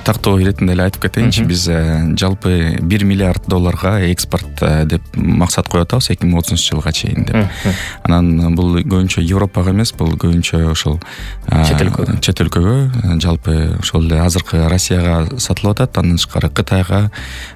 тактоо иретинде эле айтып кетейинчи. Биз жалпы 1 миллиард долларга экспорт деп максат коюп атабыз 2030 жылга чейин деп. Анан бул көбүнчө Европага эмес, бул көбүнчө ошол чет өлкөгө, жалпы ошол эле азыркы Россияга сатылып атат. Андан тышкары Кытайга,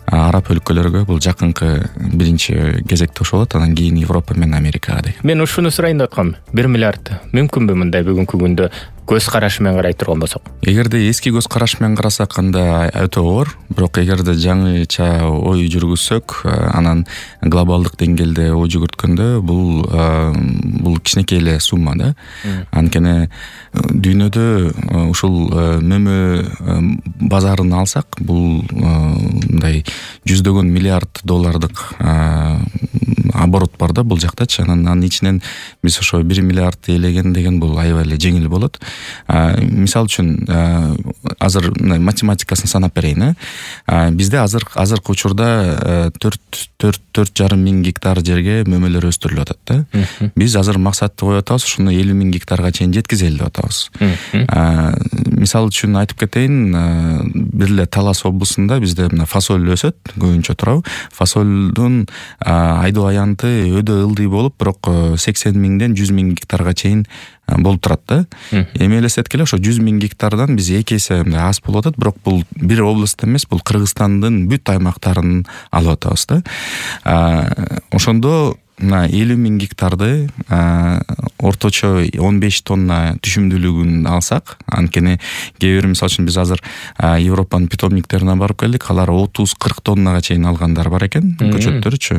араб өлкөлөргө бул жакынкы биринчи кезекте ошо болот. Анан кийин Европа менен Америкага деген. Мен ушуну сурайын деп аткам. 1 миллиард мүмкүнбү мындай бүгүнкү күндө көз карашы менен карай турган болсок? Эгерде эски көз караш менен карасак, анда өтө оор. Бирок эгерде жаңыча ой жүргүзсөк, анан глобалдык деңгээлде ой жүгүрткөндө бул кичинекей эле сумма да. Анткени дүйнөдө ушул мөмө базарын алсак, бул мындай жүздөгөн миллиард доллардык оборот бар да бул жактачы. Анын ичинен биз ошо 1 миллиард элеген деген бул аябай эле жеңил болот. Мисал үчүн азыр математикасын санап берейин. Бизде азыркы учурда 4,5 миң гектар жерге мөмөлөр өстүрүлүп атат да. Биз азыр максатты коюп атабыз, ушуну 50 миң гектарга чейин жеткизели деп атабыз. Мисал үчүн айтып кетейин, бир эле Талас облусунда бизде мына фасоль өсөт, көбүнчө турабы. Фасолдун айдоо аянты өйдө ылдый болуп, бирок 80 миңден 100 миң гектарга чейин болуп турат да. Эми элестеткиле, ошо 100 миң гектардан биз 2 эсе аз болуп атат, бирок бул бир област эмес, бул Кыргызстандын бүт аймактарын алып атабыз да. Ошондо мына 50 миң гектарды орточо 15 тонна түшүмдүүлүгүн алсак, анткени кээ бир мисал үчүн биз азыр Европанын питомниктерине барып келдик, алар 30-40 тоннага чейин алгандар бар экен, көчөттөрчү,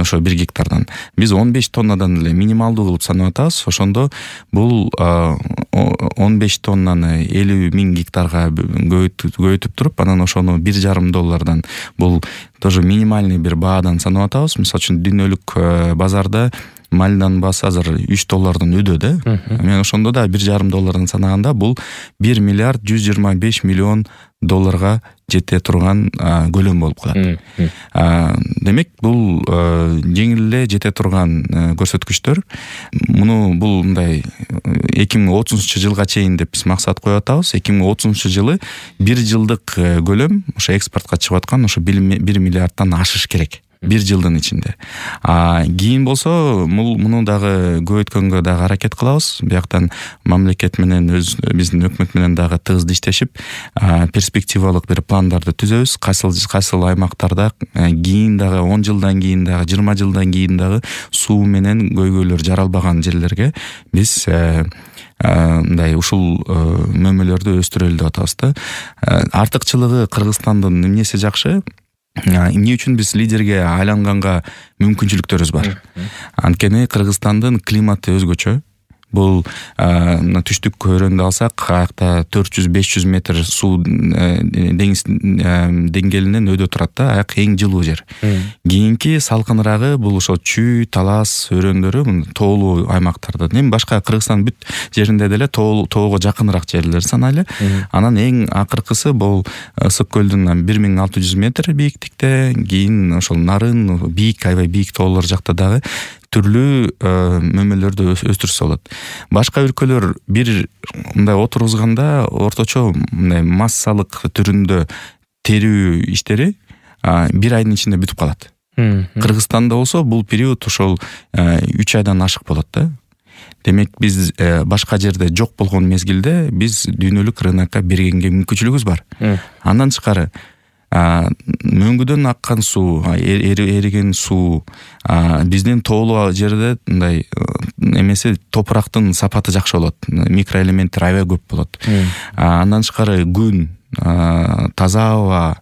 ошо 1 гектардан. Биз 15 тоннадан эле минималдуу кылып санап атабыз. Ошондо бул 15 тоннаны 50 миң гектарга көбөйтүп туруп, анан ошону $1,5 бул тоже минимальный бир баадан санап атабыз. Мисал үчүн дүйнөлүк базарда мальдын баасы азыр $3 өдө да. Мен ошондо да $1,5 санаганда бул 1 миллиард 125 миллион долларга жете турган көлөм болуп калат. Демек бул жеңил эле жете турган көрсөткүчтөр. Муну бул мындай 2030 жылга чейин деп биз максат коюп атабыз. 2030 жылы 1 жылдык көлөм ошо экспортко чыгып аткан ошо 1 миллиардтан ашыш керек. 1 жылдын ичинде. Кийин болсо муну дагы көбөйткөнгө дагы аракет кылабыз. Бияктан мамлекет менен биздин өкмөт менен дагы тыгыз иштешип, перспективалык бир пландарды түзөбүз. Кайсыл аймактарда кийин дагы 10 жылдан кийин дагы 20 жылдан кийин дагы суу менен көйгөйлөр жаралбаган жерлерге биз мындай ушул мөмөлөрдү өстүрөлү деп атабыз да. Артыкчылыгы Кыргызстандын эмнеси жакшы? Эмне үчүн биз лидерге айланганга мүмкүнчүлүктөрүбүз бар. Анткени Кыргызстандын климаты өзгөчө. Бул түштүк өрөндү алсак, аякта 400-500 метр суу деңиз деңгээлинен өйдө турат да, аяк эң жылуу жер. Кийинки салкынырагы бул ошо Чүй, Талас өрөөндөрү, тоолуу аймактарда. Эми башка Кыргызстан бүт жеринде деле тоого жакыныраак жерлер санайлы. Анан эң акыркысы бул Ысык көлдүн 1600 метр бийиктикте, кийин ошол Нарын бийик, аябай бийик тоолор жакта дагы түрлүү мөмөлөрдү өстүрсө болот. Башка өлкөлөр бир мындай отургузганда орточо мындай массалык түрүндө терүү иштери 1 айдын ичинде бүтүп калат. Кыргызстанда болсо бул период ошол 3 айдан ашык болот да. Демек биз башка жерде жок болгон мезгилде биз дүйнөлүк рынокко бергенге мүмкүнчүлүгүбүз бар. Андан тышкары мөңгүдөн аккан суу, эриген суу, биздин тоолуу жерде мындай эмеси топурактын сапаты жакшы болот, микроэлементтер аябай көп болот. Андан тышкары күн, таза аба,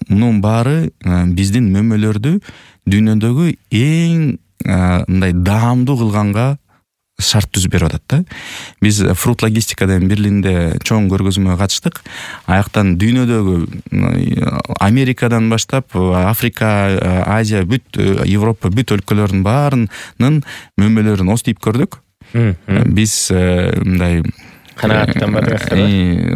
мунун баары биздин мөмөлөрдү дүйнөдөгү эң мындай даамдуу кылганга шарт түзүп берип атат да. Биз Fruit Logistica деген Берлинде чоң көргөзмөгө катыштык. Аяктан дүйнөдөгү Америкадан баштап Африка, Азия, бүт Европа, бүт өлкөлөрдүн баарынын мөмөлөрүн остип көрдүк. Биз мындай канааттан бардыңыздар.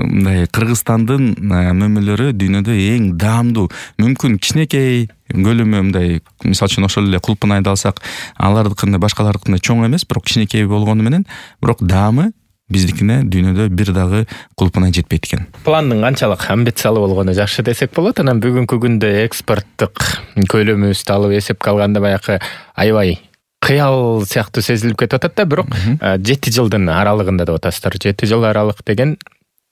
Мындай Кыргызстандын мөмөлөрү дүйнөдө эң даамдуу, мүмкүн кичинекей көлөмү мындай, мисал үчүн ошол эле Кулпунайды алсак, алардыкындай башкалардыкындай чоң эмес, бирок кичинекей болгону менен, бирок даамы биздикине дүйнөдө бир дагы кулпунай жетпейт экен. Пландын канчалык амбициялуу болгону жакшы десек болот. Анан бүгүнкү күндө экспорттук көлөмүбүздү алып эсепке алганда баягы аябай кыял сыяктуу сезилип кетип атат да, бирок 7 жылдын аралыгында деп атасыздар. 7 жыл аралык деген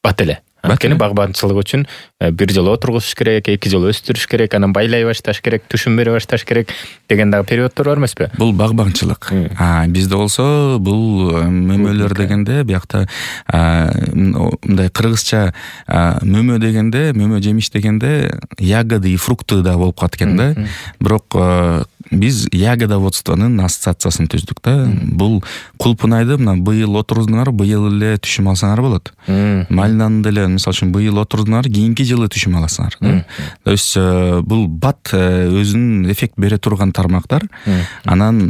бат эле. Анткени багбанчылык үчүн 1 жыл отургузуш керек, 2 жыл өстүрүш керек, анан байлай башташ керек, түшүм бере башташ керек деген дагы периоддор бар эмеспи? Бул багбанчылык. Бизде болсо бул мөмөлөр дегенде биякта мындай кыргызча мөмө дегенде, мөмө жемиш дегенде ягоды и фрукты да болуп калат экен да. Бирок биз ягодоводствонун ассоциациясын түздүк да. Бул кулпунайды мына быйыл отурдуңар, быйыл эле түшүм алсаңар болот. Малинаны деле мисалы үчүн быйыл отурдуңар, кийинки жылы түшүм аласыңар. То есть бул бат өзүнүн эффект бере турган тармактар. Анан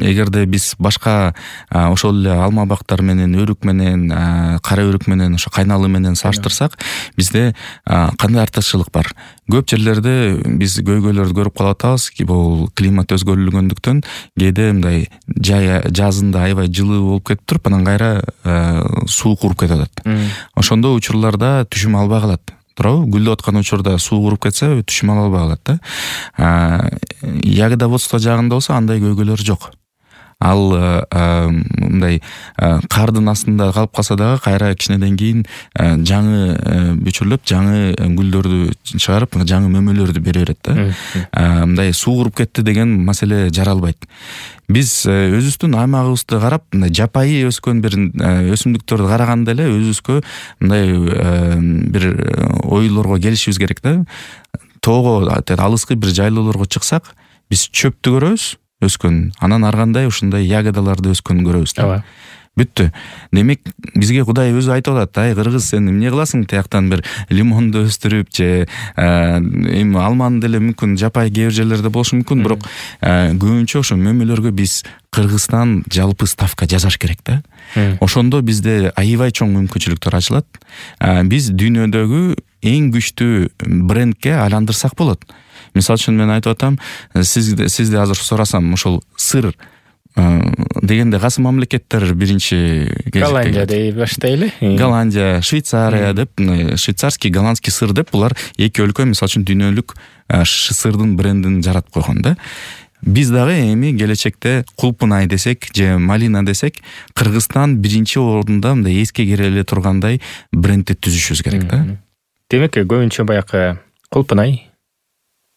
эгерде биз башка ошол эле алма бактар менен, өрүк менен, кара өрүк менен, ошо кайналы менен салыштырсак, бизде кандай артыкчылык бар? Көп жерлерде биз көйгөйлөрдү көрүп калып атабыз. Бул климат өзгөрүлгөндүктөн кээде мындай жазында аябай жылуу болуп кетип туруп, анан кайра суук уруп кетип атат. Ошондой учурларда түшүм албай калат. Туурабы? Гүлдөп аткан учурда суу уруп кетсе, түшүм ала албай калат да. Ягодоводство жагында болсо андай көйгөйлөр жок. Ал мындай кардын астында калып калса дагы кайра кичинеден кийин жаңы бүчүрлөп, жаңы гүлдөрдү чыгарып, жаңы мөмөлөрдү бере берет да. Мындай суу уруп кетти деген маселе жаралбайт. Биз өзүбүздүн аймагыбызды карап, мындай жапайы өскөн бир өсүмдүктөрдү караганда эле өзүбүзгө мындай бир ойлорго келишибиз керек да. Тоого, алыскы бир жайлоолорго чыксак, биз чөптү көрөбүз өскөн, анан ар кандай ушундай ягодаларды өскөнүн көрөбүз да. Бүттү. Демек, бизге Кудай өзү айтып атат, ай кыргыз, сен эмне кыласың? Тияктан бир лимонду өстүрүп же эми алманы деле мүмкүн жапайы кээ бир жерлерде болушу мүмкүн, бирок көбүнчө ошо мөмөлөргө биз Кыргызстан жалпы ставка жасаш керек да. Ошондо бизде аябай чоң мүмкүнчүлүктөр ачылат. Биз дүйнөдөгү эң күчтүү брендке айландырсак болот. Мисалы үчүн мен айтып атам, сизди азыр сурасам, ушул сыр дегенде кайсы мамлекеттер биринчи Голландия дей баштайлы. Голландия, Швейцария деп, швейцарский, голландский сыр деп, булар эки өлкө мисалы үчүн дүйнөлүк сырдын брендин жаратып койгон да. Биз дагы эми келечекте кулпунай десек же малина десек, Кыргызстан биринчи орунда мындай эске кере эле тургандай брендти түзүшүбүз керек да. Демек, көбүнчө баягы кулпунай,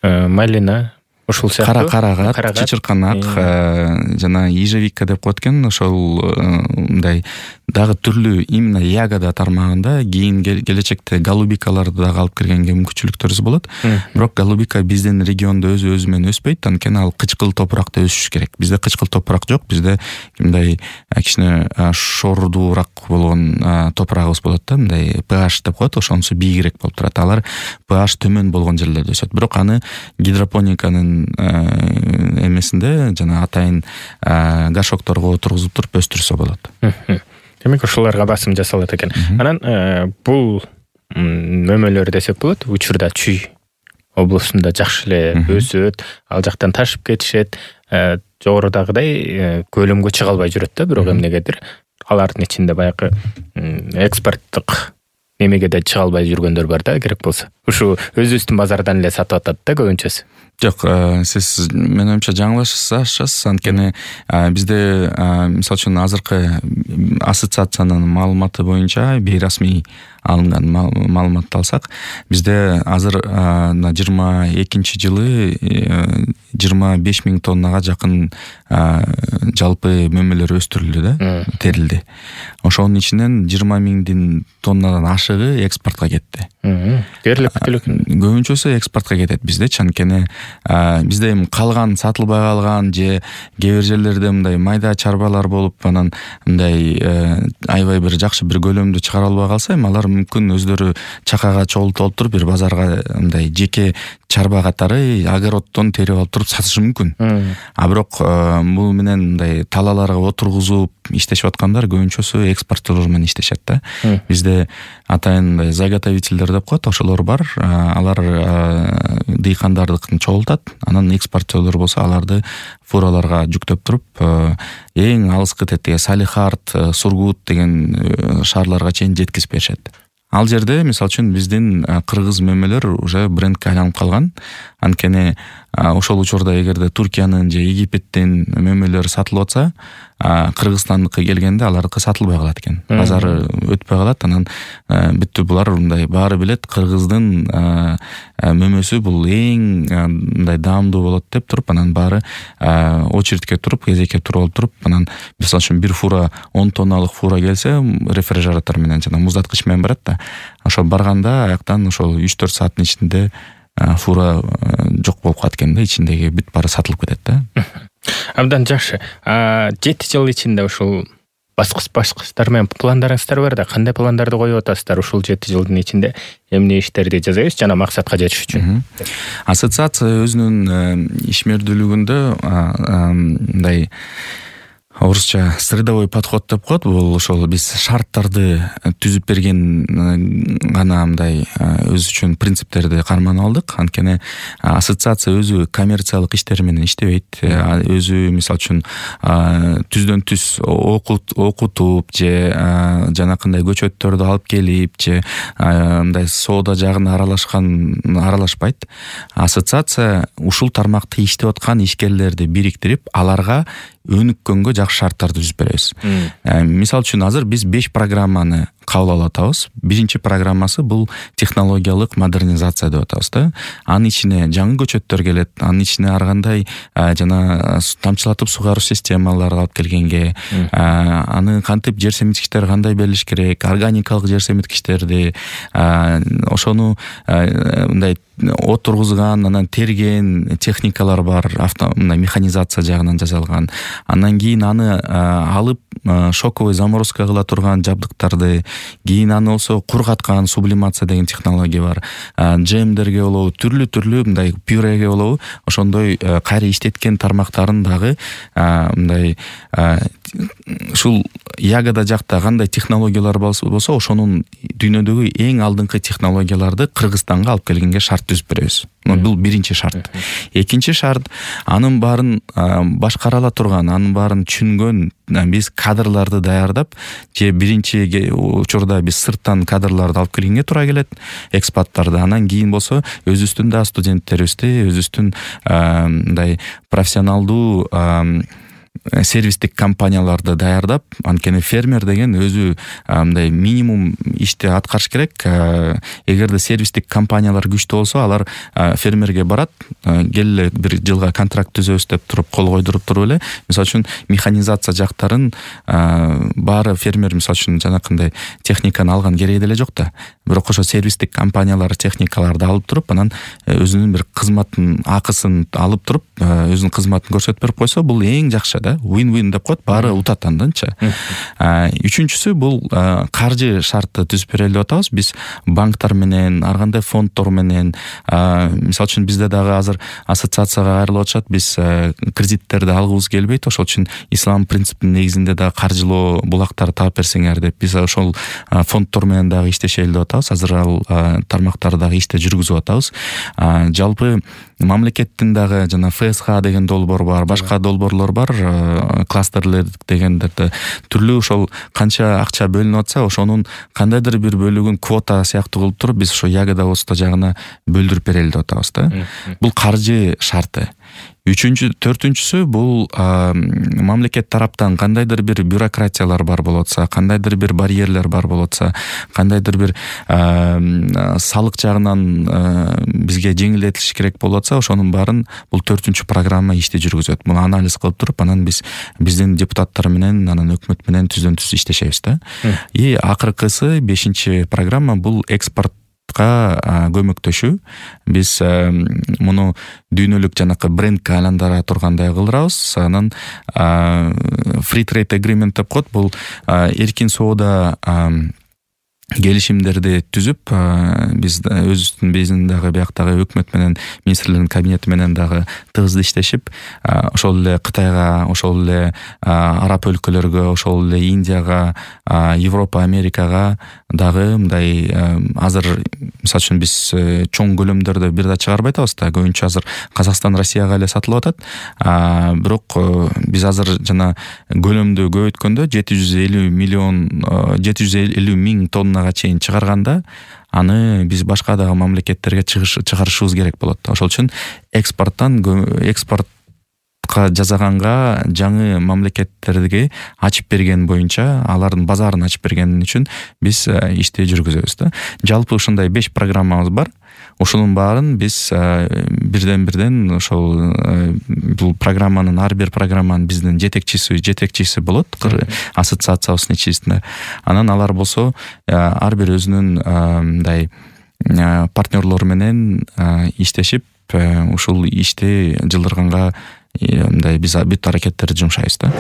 малина, ушул сыяктуу карагат, чычырканак, жана ежевика деп коет экен, ошол мындай дагы түрлүү именно ягода тармагында кийин келечекте голубикаларды дагы алып киргенге мүмкүнчүлүктөрүбүз болот. Бирок голубика биздин региондо өзү менен өспөйт, анткени ал кычкыл топуракта өсүш керек. Бизде кычкыл топурак жок, бизде мындай кичине шордуураак болгон топурагыбыз болот да, мындай pH деп коет, ошонусу бийигирээк болуп турат. Алар pH төмөн болгон жерлерде өсөт. Бирок аны гидропониканын эмесинде жана атайын горшокторго отургузуп туруп өстүрсө болот. Демек, ошолорго басым жасалат экен. Анан бул мөмөлөр десек болот, учурда Чүй облусунда жакшы эле өсөт, ал жактан ташып кетишет, жогорудагыдай көлөмгө чыга албай жүрөт да, бирок эмнегедир алардын ичинде баягы экспорттук немеге да чыга албай жүргөндөр бар да, керек болсо. Ушу өзүбүздүн базардан эле сатып атат да көбүнчөсү. Жок, сиз менин оюмча жаңылышасыз, анткени бизде мисалы үчүн азыркы ассоциациянын маалыматы боюнча, бейрасмий алынган маалыматты алсак, бизде азыр 22 жылы 25 000 тоннага жакын жалпы мөмөлөр өстүрүлдү да, терилди. Ошонун ичинен 20 000 тоннадан ашыгы экспортко кетти. Дээрлик күтүлүк. Көбүнчөсү экспортко кетет биздечи, анткени бизде эми калган сатылбай калган же кээ бир жерлерде мындай майда чарбалар болуп, анан мындай аябай бир жакшы бир көлөмдү чыгара албай калса, эми алар мүмкүн өздөрү чакага чогултуп туруп бир базарга мындай жеке чарба катары огороддон терип алып туруп сатышы мүмкүн. Бирок бул менен мындай талааларга отургузуп иштешип аткандар көбүнчөсү экспортторлор менен иштешет да. Бизде атайын заготовительдер деп коет, ошолор бар. Алар дыйкандардыкын чогултат, анан экспортерлор болсо аларды фураларга жүктөп туруп эң алыскы тетиге Салихард, Сургут деген шаарларга чейин жеткизип беришет. Ал жерде мисалы үчүн биздин кыргыз мөмөлөр уже брендке айланып калган. Анткени ошол учурда эгерде Туркиянын же Египеттин мөмөлөрү сатылып атса, Кыргызстандыкы келгенде алардыкы сатылбай калат экен. Базары өтпөй калат. Анан бүттү булар мындай баары билет Кыргыздын мөмөсү бул эң мындай даамдуу болот деп туруп, анан баары очередке туруп, кезекке туруп туруп, анан мисалы үчүн бир фура 10 тонналык фура келсе, рефрижератор менен жана муздаткыч менен барат да. Ошо барганда аяктан ошол 3-4 сааттын ичинде фура жок болуп калат экен да, ичиндеги бүт баары сатылып кетет да. Абдан жакшы. 7 жыл ичинде ушул баскычтар менен пландарыңыздар бар да, кандай пландарды коюп атасыздар ушул 7 жылдын ичинде? Эмне иштерди жасайсыз жана максатка жетиш үчүн? Ассоциация өзүнүн ишмердүүлүгүндө мындай орусча средовой подход деп коет. Бул ошол биз шарттарды түзүп берген гана мындай өз үчүн принциптерди карманып алдык. Анткени ассоциация өзү коммерциялык иштер менен иштебейт. Өзү мисалы үчүн түздөн түз окутуп же жанакындай көчөттөрдү алып келип же мындай соода жагына аралашпайт. Ассоциация ушул тармакта иштеп аткан ишкерлерди бириктирип, аларга өнүккөнгө жакшы шарттарды түзүп беребиз. Мисалы үчүн азыр биз 5 программаны кабыл алып атабыз. Биринчи программасы бул технологиялык модернизация деп атабыз да. Анын ичине жаңы көчөттөр келет, анын ичине ар кандай жана тамчылатып сугаруу системалары алып келгенге, аны кантип жер семиткичтер кандай берилиш керек, органикалык жер семиткичтерди, ошону мындай отургузган, анан терген техникалар бар, мындай механизация жагынан жасалган. Андан кийин аны алып шоковый заморозка кыла турган жабдыктарды, кийин аны болсо кургаткан сублимация деген технология бар. Джемдерге болобу, түрлүү мындай пюреге болобу, ошондой кайра иштеткен тармактарын дагы мындай ушул ягода жакта кандай технологиялар болсо, ошонун дүйнөдөгү эң алдыңкы технологияларды Кыргызстанга алып келгенге шарт түзүп беребиз. Бул биринчи шарт. Экинчи шарт, анын баарын башкара ала турган, анын баарын түшүнгөн биз кадрларды даярдап, же биринчи учурда биз сырттан кадрларды алып келгенге туура келет, экспаттарды. Анан кийин болсо өзүбүздүн да студенттерибизди, өзүбүздүн мындай профессионалдуу сервистик компанияларды даярдап, анткени фермер деген өзү мындай минимум ишти аткарыш керек. Эгерде сервистик компаниялар күчтүү болсо, алар фермерге барат, келе бир жылга контракт түзөбүз деп туруп кол койдуруп туруп эле, мисалы үчүн механизация жактарын баары фермер мисалы үчүн жанакындай техниканы алган кереги деле жок да. Бирок ошо сервистик компаниялар техникаларды алып туруп, анан өзүнүн бир кызматын акысын алып туруп, өзүнүн кызматын көрсөтүп берип койсо, бул эң жакшы да. Win-win деп коет, баары утат анданчы. Үчүнчүсү бул каржы шартты түзүп берели деп атабыз. Биз банктар менен, ар кандай фонддор менен, мисалы үчүн бизде дагы азыр ассоциацияга кайрылып атышат, биз кредиттерди алгыбыз келбейт, ошол үчүн ислам принципинин негизинде да каржылоо булактарды таап берсеңер деп биз ошол фонддор менен дагы иштешели деп атабыз. Азыр ал тармактарды дагы иште жүргүзүп атабыз. Жалпы мамлекеттин дагы жана ФСХ деген долбоор бар, башка долбоорлор бар, кластерлер дегендерде түрлүү ошол канча акча бөлүнүп атса, ошонун кандайдыр бир бөлүгүн квота сыяктуу кылып туруп, биз ошо ягода болсо жагына бөлдүрүп берели деп атабыз да. Бул каржы шарты. Төртүнчүсү бул мамлекет тараптан кандайдыр бир бюрократиялар бар болотса, кандайдыр бир барьерлер бар болотса, кандайдыр бир салык жагынан бизге жеңилдетилиш керек болотса, ошонун баарын бул 4-чү программа ишти жүргүзөт. Муну анализ кылып туруп, анан биз биздин депутаттар менен, анан өкмөт менен түздөн түз иштешебиз да. И акыркысы 5-чи программа бул экспорт көмөктөшүү. Биз муну дүйнөлүк жанакы брендке айландыра тургандай кылдырабыз. Анан free trade agreement деп коет. Бул эркин соода келишимдерди түзүп, биз биздин дагы бияктагы өкмөт менен министрлердин кабинети менен дагы тыгыз иштешип, ошол эле Кытайга, ошол эле араб өлкөлөргө, ошол эле Индияга, Европа, Америкага дагы мындай азыр мисалы үчүн биз чоң көлөмдөрдө бир да чыгарбай атабыз да. Көбүнчө азыр Казакстан, Россияга эле сатылып атат. Бирок биз азыр жана көлөмдү көбөйткөндө 750 миң тоннага чейин чыгарганда, аны биз башка дагы мамлекеттерге чыгарышыбыз керек болот. Ошол үчүн экспортка жасаганга жаңы мамлекеттерге ачып берген боюнча, алардын базарын ачып берген үчүн биз ишти жүргүзөбүз да. Жалпы ушундай 5 программабыз бар. Ошонун баарын биз бирден ошол бул программанын, ар бир программанын биздин жетекчиси болот, ассоциациябыздын ичинде. Анан алар болсо ар бир өзүнүн мындай партнерлору менен иштешип, ушул ишти жылдырганга мындай биз бүт аракеттерди жумшайбыз да.